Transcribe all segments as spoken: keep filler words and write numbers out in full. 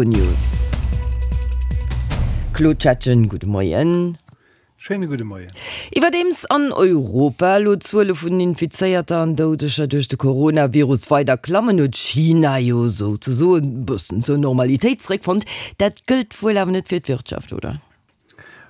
News. Claude Schettgen, gudde Moien. Schéine gudde Moien. Iwwerdeems an Europa elo d'Zuele vun Infizéierter an Doudeger duerch de Coronavirus weider klammen, huet China jo souzesoen e bëssen zur Normalitéit zeréckfonnt. Dat gëllt wuel awer net fir d'Wirtschaft, oder?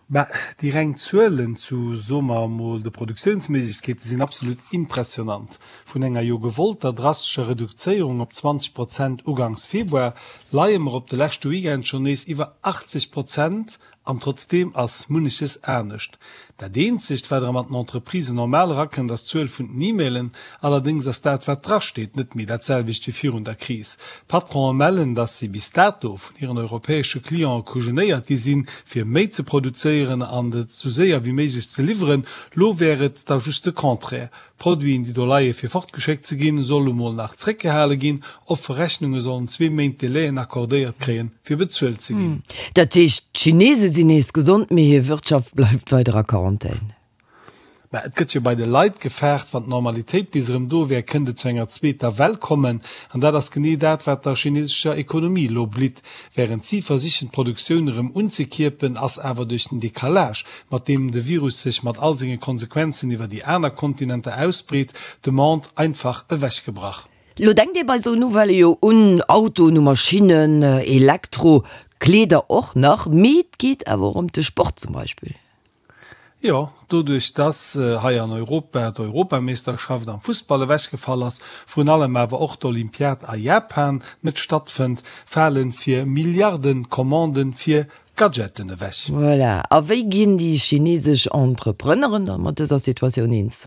Bah, déi reng Zuelen zu, soe mer emol, de Produktiounsméiglechkeete sinn absolut impressionant. Vun enger jo gewollter drastescher Reduzéierung op zwanzeg Prozent uganks Februar leie mer op de leschte Weekend schonn nees iwwer achtzeg Prozent. An trotzdeem ass munneches anescht. Dat eenzegt, wat erëm an den Entreprisen normal erakënnt, ass d'Zuel vun den E-Mailen. Allerdéngs ass dat, wat drasteet, net méi dat selwecht wéi virun der Kris. D'Patronen mellen, dass si bis dato vun hiren europäesche Cliente kujenéiert gi sinn, fir méi ze produzéieren an et esou séier wéi méiglech ze liwweren. Lo wär et da just de Contraire. Produiten, déi do leie fir fortgeschéckt ze ginn, solle mol nach zréckgehale ginn. Offe Rechnunge sollen zwee Méint Delaien accordéiert kréien, fir bezuelt ze ginn. Dat heescht, d'Chinese sinn nees gesond, mee hir Wirtschaft bleift weider a Quarantän. Mä et gëtt jo bei de Leit gefaart, wann d'Normalitéit bis erëm do wär, kënnt et zu enger zweeter Well kommen. An dat ass genee dat, wat der chinesescher Ekonomie elo blitt. Wärend si versichen, d'Produktioun erëm unzekierpen, ass awer duerch den Decalage, mat deem de Virus sech mat all senge Konsequenzen iwwer déi aner Kontinenter ausbreet, d'Demande einfach ewechgebrach. Lo denkt ee bei sou Nouvellë jo un Autoen, u Maschinnen, Elektro, Kleeder och nach, mee et geet awer och ëm de Sport zum Beispill. Jo, doduerch dass hei an Europa d'Europameeschterschaft am Fussball ewechgefall ass, vrun allem awer och d'Olympiad a Japan net stattfënnt, fale fir Milliarden Commanden fir Gadgeten ewech. Voilà. A wéi ginn déi chinesesch Entrepreneuren da mat dëser Situatioun eens?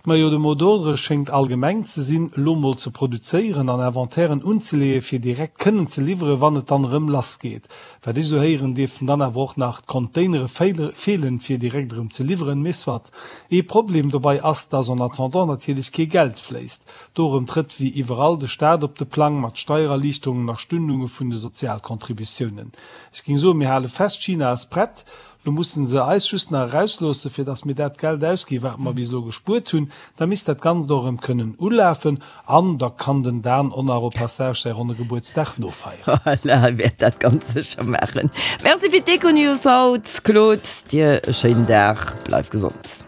Majo, de Mot d'ordre schéngt allgemeng ze sinn, elo mol ze produzéieren an Inventairen unzeleeë fir direkt kënnen ze liwweren, wann et dann erëm lass geet. Wat ech esou héieren, dierften dann awer och nach d'Containere feelen, fir direkt erëm ze liwweren. Mee soit. Ee Problem dobei ass, dass en attendant natierlech kee Geld fléisst. Dorëm trëtt wéi iwwerall de Staat op de Plang mat Steiererliichterungen a Stundunge vun de Sozialcontributiounen. Ech géing soen, mir hale fest, China ass prett. Lo mussen se eis just nach erausloossen, fir dass mir dat Geld ausginn, wat mer bis elo gespuert hunn. Da misst dat Ganzt och erëm kënnen ulafen an da kann den Dan och nach au passage säi ronne Gebuertsdag nofeieren. Voilà, e wäert dat ganz sécher maachen. Merci fir d'Econews haut, Claude. Dir e schéinen Dag, bleif gesond.